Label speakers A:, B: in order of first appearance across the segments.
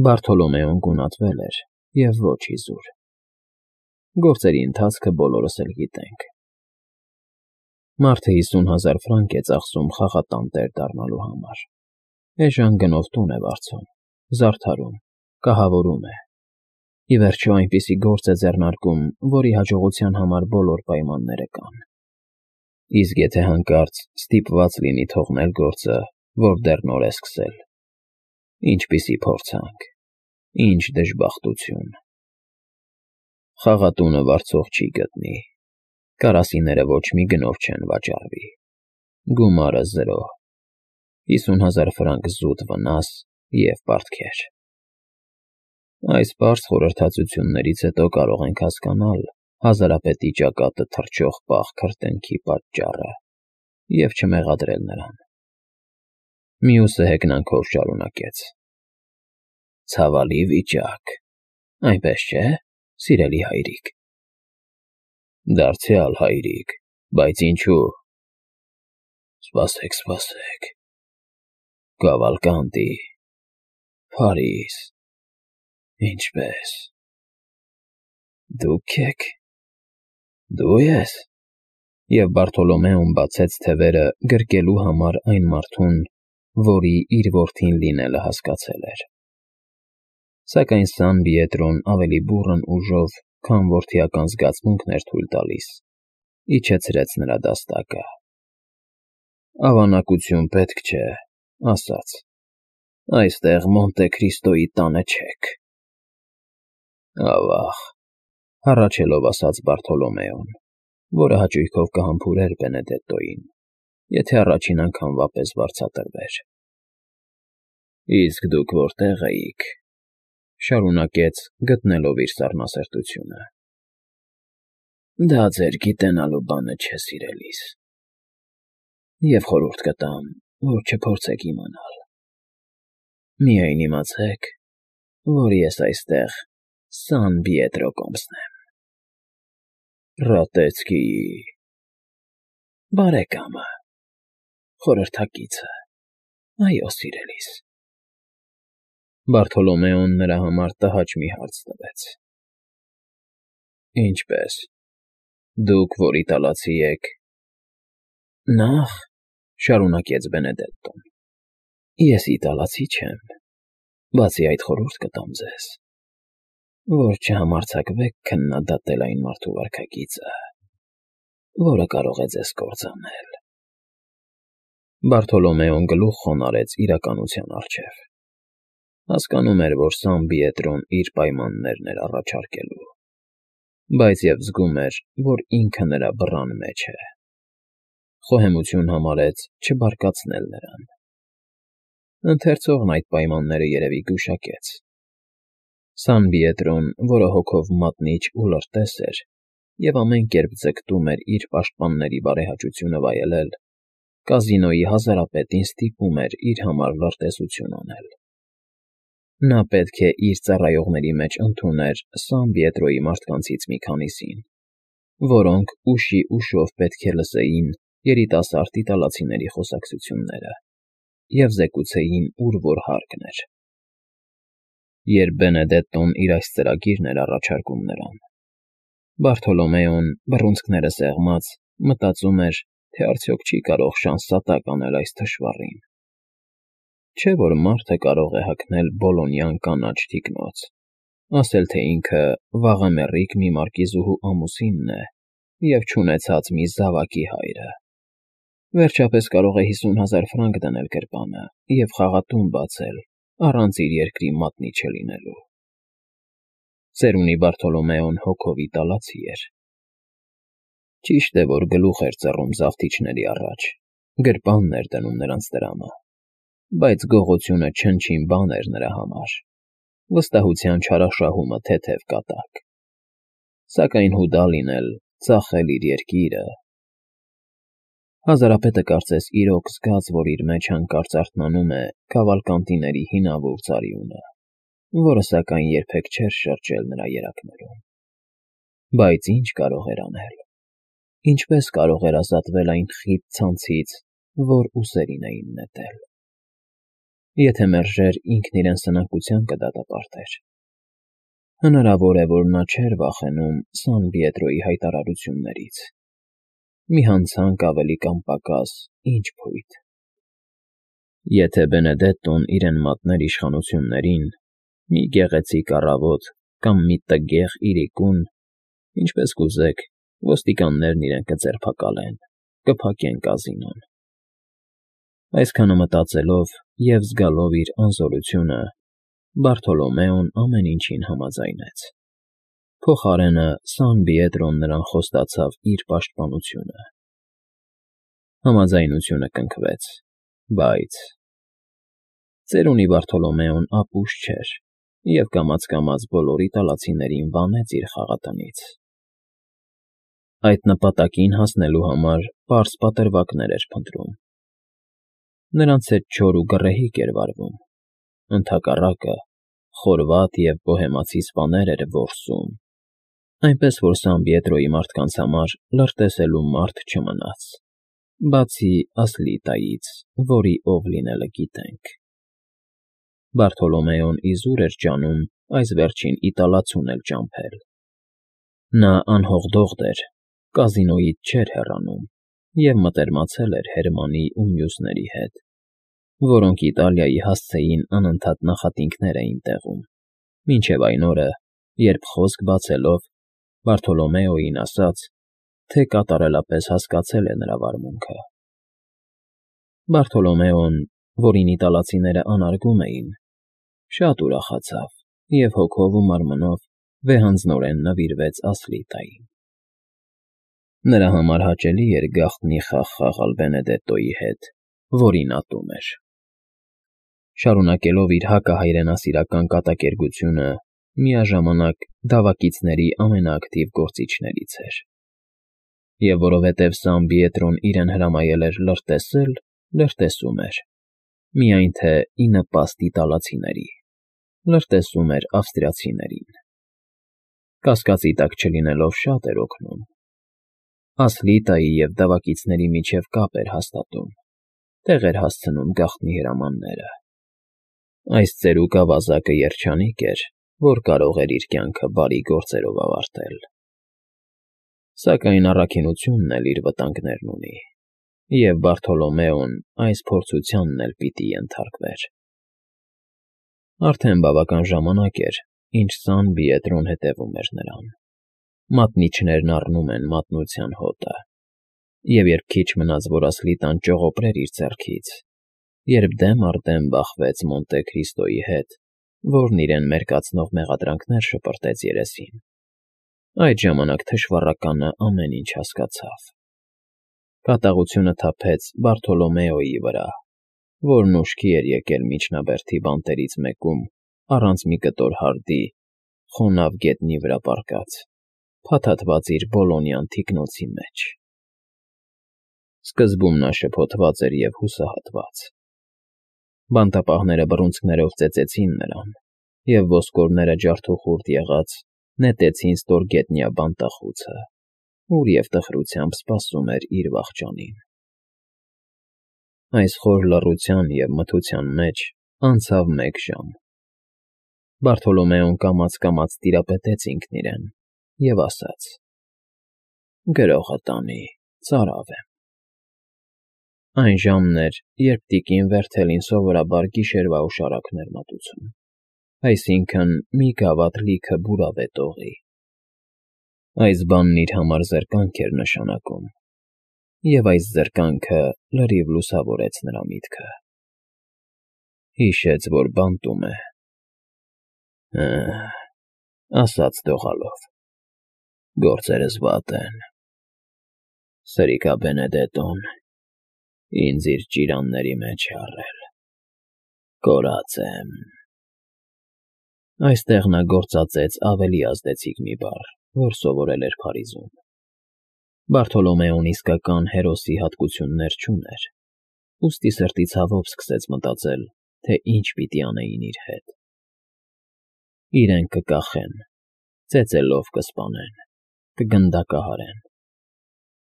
A: Բարթոլոմեոն գունատվել էր և ոչ իզուր։ Գործերի ընթացքը բոլորս էլ գիտենք։ Մարդը 50,000 ֆրանկ է ծախսում խաղատան տեր դառնալու համար, էժան գնով տուն է վարձում, զարդարում, կահավորում է, ի վերջո այնպիսի գործ է ձեռնարկում, որի հաջողության համար բոլոր պայմանները կան։ Իսկ եթե հանկարծ ստիպված լինի թողնել գործը, որ դեռ նոր է սկսել, ինչպիսի փորձանք, ինչ դժբախտություն։ Խաղատունը վարձող չի գտնի, կարասիները ոչ մի գնով չեն վաճառվի, գումարը՝ 0, 50,000 ֆրանկ զուտ վնաս և պարտքեր։ Այս պարզ խորհրդածություններից հետո կարող ենք հասկանալ հազարապետի ճակատը թռչող պաղ քրտինքի պատճառը և չմեղադրել նրան։ Մյուսը հեգնանքով շարունակեց. Ցավալի վիճակ, այնպես չէ՞, սիրելի հայրիկ։ Դարձյալ հայրիկ, բայց ինչու։ Սպասեք, Կավալկանտի, Փարիզ, ինչպես։ Դուք եք։ Դու ես։ Եվ Բարթոլոմեոն բացեց թևերը գրկելու համար այն մարդուն, որի իր որդին լինելը հասկացել էր։ Սակայն Սան Պիետրոն ավելի բուռն ուժով, քան որդիական զգացմունքն էր թույլ տալիս, իջեցրեց նրա դաստակը։ Ավանակություն պետք չէ, ասաց. Այստեղ Մոնտե Քրիստոյի տանը չեք։ Ավաղ, հառաչելով ասաց Բարթոլոմեոն, որը հաճույքով կհամբուրեր Բենեդետտոյին, եթե առաջին անգամվա պես վարձատրվեր։ Իսկ դուք որտե՞ղ էիք, շարունակեց, գտնելով իր սառնասրտությունը։ Դա ձեր գիտենալու բանը չէ, սիրելիս, և խորհուրդ կտամ, որ չփորձեք իմանալ։ Միայն իմացեք, որ ես այստեղ Սան Պիետրո կոմսն եմ։ Ռատեցկիի… բարեկամը, խորհրդակիցը, այո, սիրելիս։ Բարթոլոմեոն նրա համար տհաճ մի հարց տվեց. Ինչպե՞ս, դուք որ իտալացի եք։ Նախ, շարունակեց Բենեդետտոն, ես իտալացի չեմ, բացի այդ խորհուրդ կտամ ձեզ, որ չհամարձակվեք քննադատել այն մարդու վարքագիծը, որը կարող է ձեզ կործանել։ Բարթոլոմեոն գլուխ խոնարհեց իրականության առջև։ Հասկանում էր, որ Սան Պիետրոն իր պայմաններն էր առաջարկելու, բայց և զգում էր, որ ինքը նրա բռան մեջ է։ Խոհեմություն համարեց չբարկացնել նրան։ Ընթերցողն այդ պայմանները երևի գուշակեց։ Սան Պիետրոն, որը հոգով մատնիչ ու լրտես էր և ամեն կերպ ձգտում էր իր պաշտպանների բարեհաճությունը վայելել, կազինոյի հազարապետին ստիպում էր իր համար լրտեսություն անել։ Նա պետք է իր ծառայողների մեջ ընդուներ Սան Պիետրոյի մարդկանցից մի քանիսին, որոնք ուշի ուշով պետք է լսեին երիտասարդ իտալացիների խոսակցությունները և զեկուցեին, ուր որ հարկն էր։ Երբ Բենեդետտոն իր այս ծրագիրն էր առաջարկում նրան, Բարթոլոմեոն, բռունցքները սեղմած, մտածում էր, թե արդյոք չի կարող շանսատակ անել այս թշվառին։ Չէ՞ որ մարդը կարող է հագնել բոլոնյան կանաչ թիկնոց, ասել, թե ինքը վաղեմեռիկ մի մարկիզուհու ամուսինն է և չունեցած մի զավակի հայրը։ Վերջապես կարող է 50,000 ֆրանկ դնել գրպանը և խաղատուն բացել, առանց իր երկրի մատնիչը լինելու։ Ծերունի Բարթոլոմեոն հոգով իտալացի էր։ Ճիշտ է, որ գլուխ էր ծռում զավթիչների առաջ, գրպանն էր դնում նրանց տրամը, բայց գողությունը չնչին բան էր նրա համար, վստահության չարաշահումը թեթև կատակ։ Սակայն հուդա լինել, ծախել իր երկիրը… Հազարապետը կարծես իրոք զգաց, որ իր մեջ հանկարծ արթնանում է Քավալկանտիների հինավուրց արյունը, որը սակայն երբեք չէր շրջել նրա երակներում։ Բայց ինչ կարող էր անել։ Ինչպես կարող էր ազատվել այն խիտ ցանցից, որ ուսերին էին նետել։ Եթե մերժեր, ինքն իրեն սնանկության կդատապարտեր։ Հնարավոր է, որ նա չէր վախենում Սան Պիետրոյի հայտարարություններից։ Մի հանցանք ավելի կամ պակաս, ինչ փույթ։ Եթե Բենեդետտոն իրեն մատներ իշխանություններին, մի գեղեցիկ առավոտ կամ մի տգեղ իրիկուն, ինչպես կուզեք, ոստիկաններն իրեն կձերբակալեն, կփակեն կազինոն։ Այսքանը մտածելով և զգալով իր անզորությունը, Բարթոլոմեոն ամեն ինչին համաձայնեց։ Փոխարենը Սան Պիետրոն նրան խոստացավ իր պաշտպանությունը։ Համաձայնությունը կնքվեց, բայց… Ծերունի Բարթոլոմեոն ապուշ չէր և կամաց֊կամաց բոլոր իտալացիներին վանեց իր խաղատնից։ Այդ նպատակին հասնելու համար պարզ պատրվակներ էր փնտրում։ Նրանց հետ չոր ու գռեհիկ էր վարվում, ընդհակառակը, խորված և բոհեմացի սպաներ էր որսում, այնպես որ Սան Պիետրոյի մարդկանց համար լրտեսելու մարդ չմնաց, բացի Ասլիտայից, որի ով լինելը գիտենք։ Բարթոլոմեոն իզուր էր ջանում այս վերջին իտալացուն էլ ճամփել։ Նա անհողդողդ էր, կազինոյից չէր հեռանում և մտերմացել էր Հերմանի ու մյուսների հետ, որոնք Իտալիայի հասցեին անընդհատ նախատինքներ էին տեղում, մինչև այն օրը, երբ խոսք բացելով, Բարթոլոմեոյին ասաց, թե կատարելապես հասկացել է նրա վարմունքը։ Բարթոլոմեոն, որին իտալացիները անարգում էին, շատ ուրախացավ և հոգով ու մարմնով վեհանձնորեն նվիրվեց Ասլիտային։ Նրա համար հաճելի էր գաղտնի խաղ խաղալ Բենեդետտոյի հետ, որին ատում էր։ Շարունակելով իր հակահայրենասիրական կատակերգությունը, միաժամանակ դավակիցների ամենաակտիվ գործիչներից էր։ Եվ որովհետև Սան Պիետրոն իրեն հրամայել էր լրտեսել, լրտեսում էր, միայն թե ի նպաստ իտալացիների, լրտեսում էր ավստրիացիներին։ Կասկածի տակ չլինելով շատ էր օգնում։ Ասլիտայի և դավակիցների միջև կապ էր հաստատում, տեղ էր հասցնում գաղտնի հրամանները։ Այս ծերուկ ավազակը երջանիկ էր, որ կարող էր իր կյանքը բարի գործերով ավարտել։ Սակայն առաքինությունն էլ իր վտանգներն ունի, և Բարթոլոմեոն այս փորձությանն էլ պիտի ենթարկվեր։ Արդեն բավական ժամանակ էր, ինչ Սան Պիետրոն հետևում էր նրան։ Մատնիչներն առնում են մատնության հոտը, և երբ քիչ մնաց, որ Ասլիտան ճողոպրեր իր ձեռքից, երբ դեմ առ դեմ բախվեց Մոնտե Քրիստոյի հետ, որն իրեն մերկացնող մեղադրանքներ շպրտեց երեսին, այդ ժամանակ թշվառականը ամեն ինչ հասկացավ։ Կատաղությունը թափեց Բարթոլոմեոյի վրա, որն ուշքի էր եկել միջնաբերդի բանտերից մեկում առանց մի կտոր հարդի, խոնավ գետնի վրա պառկած, փաթաթված իր բոլոնյան թիկնոցի մեջ։ Սկզբում նա շփոթված էր և հուսահատված։ Բանտապահները բռունցքներով ծեծեցին նրան, և ոսկորները ջարդուխուրդ եղած նետեցին ստորգետնյա բանտախուցը, ուր և տխրությամբ սպասում էր իր վախճանին։ Այս խոր լռության և մթության մեջ անցավ 1 ժամ։ Բարթոլոմեոն կամաց֊կամաց տիրապետեց ինքն իրեն և ասաց. «Գրողը տանի, ծարավ եմ»։ Այն ժամն էր, երբ տիկին Վերթելին սովորաբար գիշերվա օշարակն էր մատուցում, այսինքն՝ մի գավաթ լիքը բուրավետ օղի։ Այս բանն իր համար զրկանք էր նշանակում, և այս զրկանքը լրիվ լուսավորեց նրա միտքը։ Հիշեց, որ բանտում է։ Ասաց դողալով. «Գործերս վատ են։ Սրիկա Բենեդետտոն ինձ իր ճիրանների մեջ է առել։ Կորած եմ»։ Այստեղ նա գործածեց ավելի ազդեցիկ մի բառ, որ սովորել էր Փարիզում։ Բարթոլոմեոն իսկական հերոսի հատկություններ չուներ, ուստի սրտի ցավով սկսեց մտածել, թե ինչ պիտի անեին իր հետ։ Իրեն կկախեն, ծեծելով կսպանեն, կգնդակահարեն։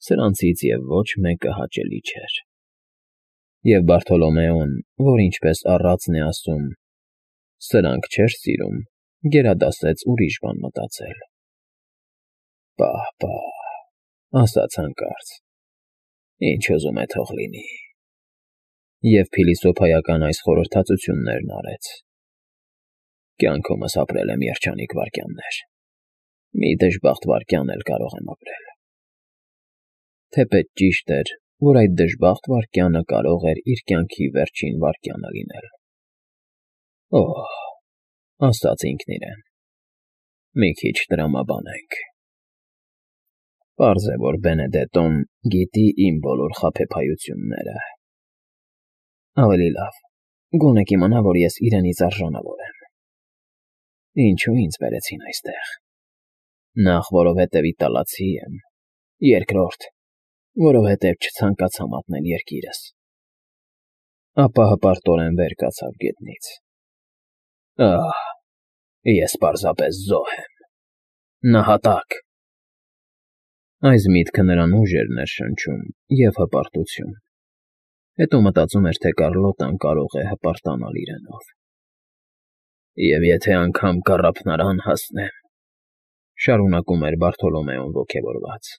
A: Սրանցից և ոչ մեկը հաճելի չէր։ Եվ Բարթոլոմեոն, որ ինչպես առածն է ասում, սրանք չէր սիրում, գերադասեց ուրիշ բան մտածել։ Պահ, ասաց հանկարծ, ինչ ուզում է թող լինի։ Եվ փիլիսոփայական այս խորհրդածություններն արեց. Կյանքումս ապրել եմ երջանիկ վայրկյաններ, մի դժբախտ վայրկյան էլ կարող եմ ապրել։ Թեպետ ճիշտ էր, որ այդ դժբախտ վայրկյանը կարող էր իր կյանքի վերջին վայրկյանը լինել։ Օհ, ասաց ինքն իրեն, մի քիչ տրամաբանենք։ Պարզ է, որ Բենեդետոն գիտի իմ բոլոր խաբեբայությունները։ Ավելի լավ, գոնե կիմանա, որ ես իրենից արժանավոր եմ։ Ինչու ինձ բերեցին այստեղ։ Նախ, որովհետև իտալացի եմ, երկրորդ, որովհետև չցանկացա մատնել երկիրս։ Ապա հպարտորեն վեր կացավ գետնից։ Ահ, ես պարզապես զոհ եմ։ Նահատակ։ Այս միտքը նրան ուժ էր ներշնչում և հպարտություն։ Հետո մտածում էր, թե Կարլոտան կարող է հպարտանալ իրենով։ Եվ եթե անգամ կառափնարան հասնեմ, շարունակում էր Բարթոլոմեոն ոգևորված,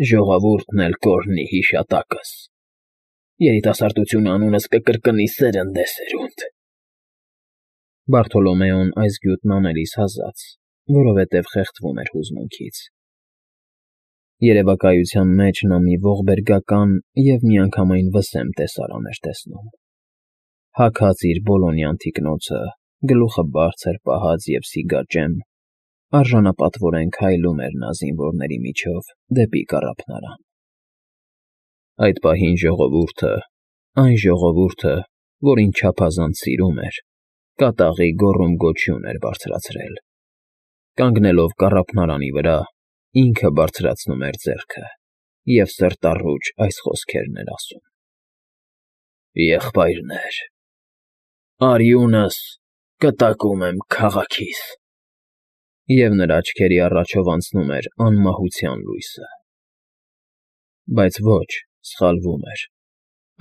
A: ժողովուրդն էլ կօրհնի հիշատակս։ Երիտասարդությունը անունս կկրկնի սերնդե սերունդ։ Բարթոլոմեոն այս գյուտն անելիս հազաց, որովհետև խեղդվում էր հուզմունքից։ Երևակայության մեջ նա մի ողբերգական և միանգամայն վսեմ տեսարան էր տեսնում։ Հագած իր բոլոնյան թիկնոցը, գլուխը բարձր պահած և սիգաճեմ, արժանապատվորեն քայլում էր նա զինվորների միջով դեպի կառափնարան։ Այդ պահին ժողովուրդը, այն ժողովուրդը, որին չափազանց սիրում էր, կատաղի գոռում֊գոչյուն էր բարձրացրել։ Կանգնելով կառափնարանի վրա, ինքը բարձրացնում էր ձեռքը և սրտառուչ այս խոսքերն էր ասում. Եղբայրներ, արյունս կտակում եմ քաղաքիս։ Եվ նրա աչքերի առաջով անցնում էր անմահության լույսը։ Բայց ոչ, սխալվում էր։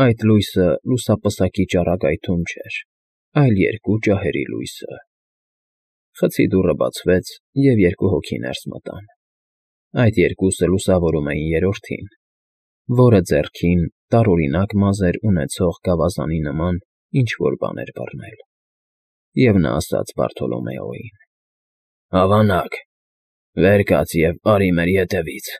A: Այդ լույսը լուսապսակի ճառագայթում չէր, այլ երկու ջահերի լույսը։ Խցի դուռը բացվեց, և երկու հոգի ներս մտան։ Այդ երկուսը լուսավորում էին երրորդին, որը ձեռքին տարօրինակ մազեր ունեցող գավազանի նման ինչ֊որ բան էր բռնել։ Եվ նա ասաց Բարթոլոմեոյին. Ավանակ, վեր կաց և արի մեր ետևից։